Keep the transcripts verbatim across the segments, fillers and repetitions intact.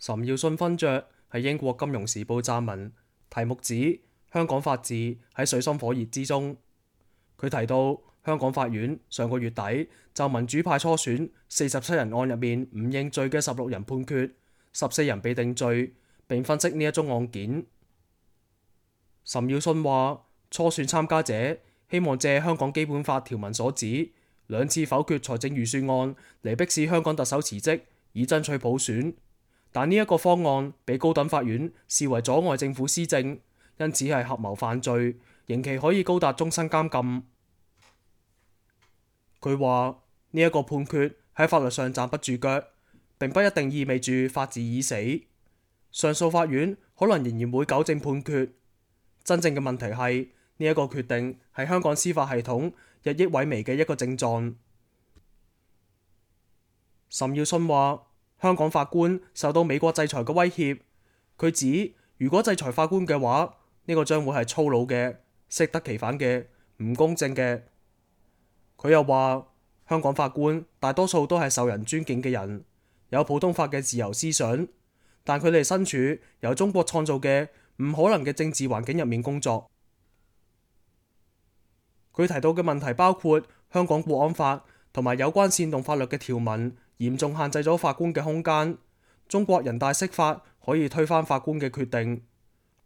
岑耀信勳爵喺英國金融時報撰文，題目指香港法治喺水深火熱之中。佢提到香港法院上個月底就民主派初選四十七人案入面唔認罪嘅十六人判決，十四人被定罪，並分析呢一宗案件。岑耀信話：初選參加者希望借香港基本法條文所指兩次否決財政預算案嚟迫使香港特首辭職，以爭取普選。但呢一個方案被高等法院視為阻礙政府施政，因此係合謀犯罪，刑期可以高達終身監禁。佢話呢一個判決喺法律上站不住腳，並不一定意味住法治已死。上訴法院可能仍然會糾正判決。真正嘅問題係呢一個決定係香港司法系統日益萎靡嘅一個症狀。岑耀信話：香港法官受到美國制裁嘅威脅，佢指如果制裁法官嘅話，呢個將會係粗魯嘅、適得其反嘅、唔公正嘅。佢又話：香港法官大多數都係受人尊敬嘅人，有普通法嘅自由思想，但佢哋身處由中國創造嘅唔可能嘅政治環境入面工作。佢提到嘅問題包括香港國安法同埋有關煽動法律嘅條文嚴重限制咗法官嘅空間，中國人大釋法可以推翻法官嘅決定，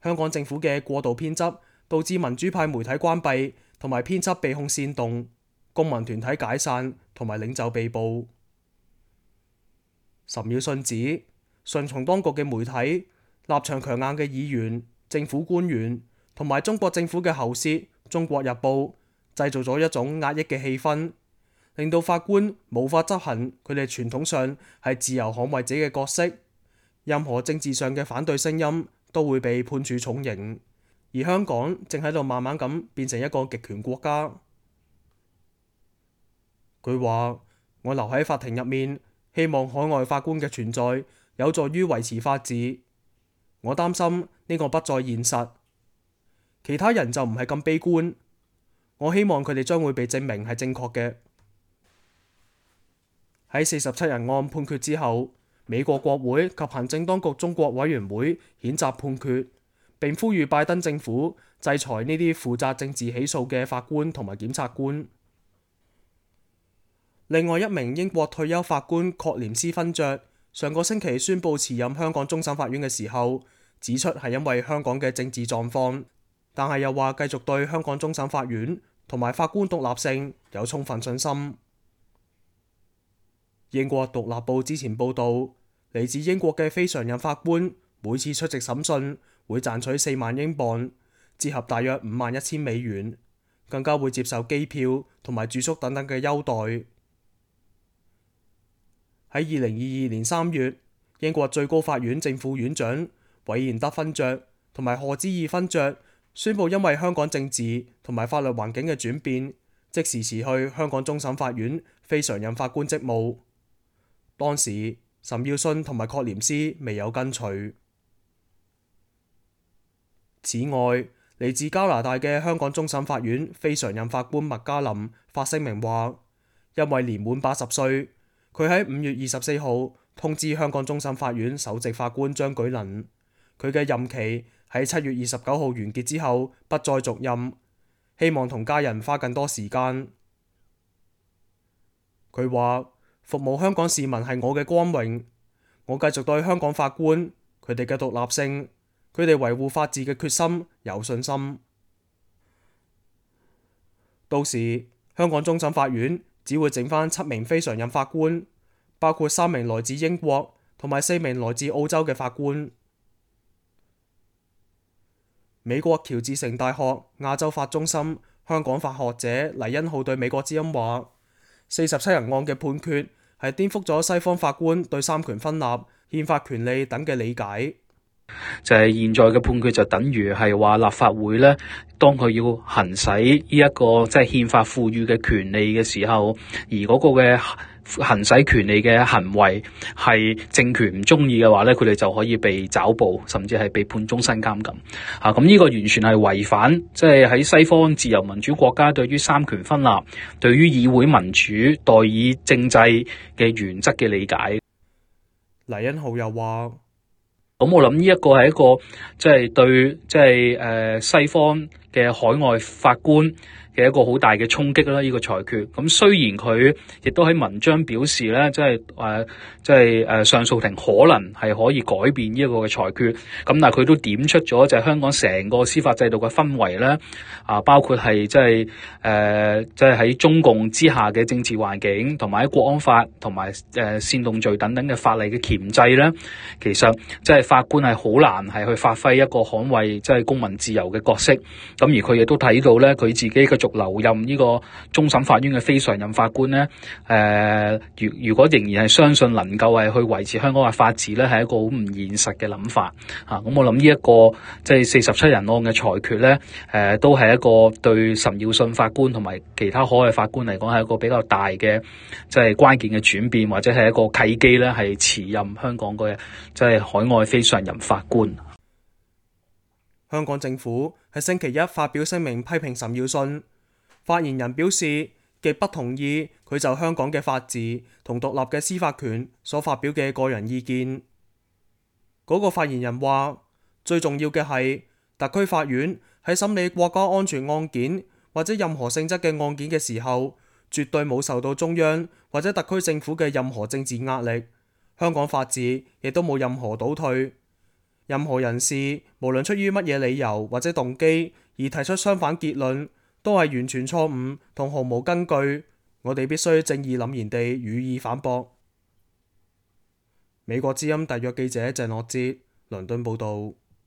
香港政府嘅過度偏執導致民主派媒體關閉同埋編輯被控煽動，公民團體解散同埋領袖被捕。岑耀信指順從當局嘅媒體、立場強硬嘅議員、政府官員同埋中國政府嘅喉舌《中國日報》製造咗一種壓抑嘅氣氛，令到法官無法執行佢哋傳統上係自由捍衛者嘅角色。任何政治上嘅反對聲音都會被判處重刑，而香港正喺度慢慢咁變成一個極權國家。佢話：我留喺法庭入面，希望海外法官嘅存在有助於維持法治。我擔心呢個不再現實，其他人就唔係咁悲觀。我希望佢哋將會被證明係正確嘅。喺四十七人案判決之後，美國國會及行政當局中國委員會譴責判決，並呼籲拜登政府制裁呢啲負責政治起訴嘅法官同埋檢察官。另外一名英國退休法官確廉斯勳爵上個星期宣布辭任香港終審法院嘅時候，指出係因為香港嘅政治狀況，但係又話繼續對香港終審法院同埋法官獨立性有充分信心。英國獨立報之前報導，嚟自英國嘅非常任法官每次出席審訊會賺取四萬英鎊，折合大約五萬一千美元，更加會接受機票同埋住宿等等嘅優待。喺二零二二年三月，英國最高法院正副院長韋賢德勳爵同埋賀知義勳爵宣布，因為香港政治同埋法律環境嘅轉變，即時辭去香港終審法院非常任法官職務。當時岑耀信同埋確廉斯未有跟隨。此外，嚟自加拿大嘅香港終審法院非常任法官麥嘉林發聲明話，因為年滿八十歲，佢喺五月二十四號通知香港終審法院首席法官張舉能，佢嘅任期喺七月二十九號完結之後不再續任，希望同家人花更多時間。佢話：服務香港市民係我嘅光榮，我繼續對香港法官佢哋嘅獨立性、佢哋維護法治嘅決心有信心。到時香港終審法院只會剩返七名非常任法官，包括三名來自英國同埋四名來自澳洲嘅法官。美國喬治城大學亞洲法中心香港法學者黎恩浩對美國之音話：四十七人案嘅判決係顛覆咗西方法官對三權分立、憲法權利等嘅理解。就係現在嘅判決就等於係話立法會咧，當佢要行使呢一個即係憲法賦予嘅權利嘅時候，而嗰個嘅行使權利嘅行為係政權唔中意嘅話咧，佢哋就可以被抓捕，甚至係被判終身監禁。啊，咁呢個完全係違反即係喺西方自由民主國家對於三權分立、對於議會民主、代議政制嘅原則嘅理解。黎恩浩又話：咁我諗呢一個係一個即係對即係誒西方嘅海外法官嘅一個好大嘅衝擊啦，呢個裁決。咁雖然佢亦都喺文章表示咧，即係誒即係誒上訴庭可能係可以改變呢一個嘅裁決，咁但係佢都點出咗就係香港成個司法制度嘅氛圍咧，啊包括係即係誒即係喺中共之下嘅政治環境，同埋喺國安法同埋誒煽動罪等等嘅法例嘅鉗制咧，其實即係法官係好難係去發揮一個捍衛即係公民自由嘅角色。咁而佢亦都睇到咧，佢自己繼續留任呢個終審法院嘅非常任法官咧，誒、呃，如如果仍然係相信能夠係去維持香港嘅法治咧，係一個好唔現實嘅諗法嚇。咁、啊、我諗呢一個即係四十七人案嘅裁決咧，誒、呃，都係一個對岑耀信法官同埋其他海外法官嚟講係一個比較大嘅即係關鍵嘅轉變，或者係一個契機咧，係辭任香港嘅即係海外非常任法官。香港政府喺星期一發表聲明批評岑耀信，發言人表示極不同意佢就香港嘅法治同獨立嘅司法權所發表嘅個人意見。嗰個發言人話，最重要嘅係特區法院喺審理國家安全案件或者任何性質嘅案件嘅時候，絕對冇受到中央或者特區政府嘅任何政治壓力，香港法治亦都冇任何倒退。任何人士無論出於乜嘢理由或者動機而提出相反結論，都係完全錯誤同毫無根據。我哋必須正義凜然地予以反駁。美國之音特約記者鄭樂哲，倫敦報導。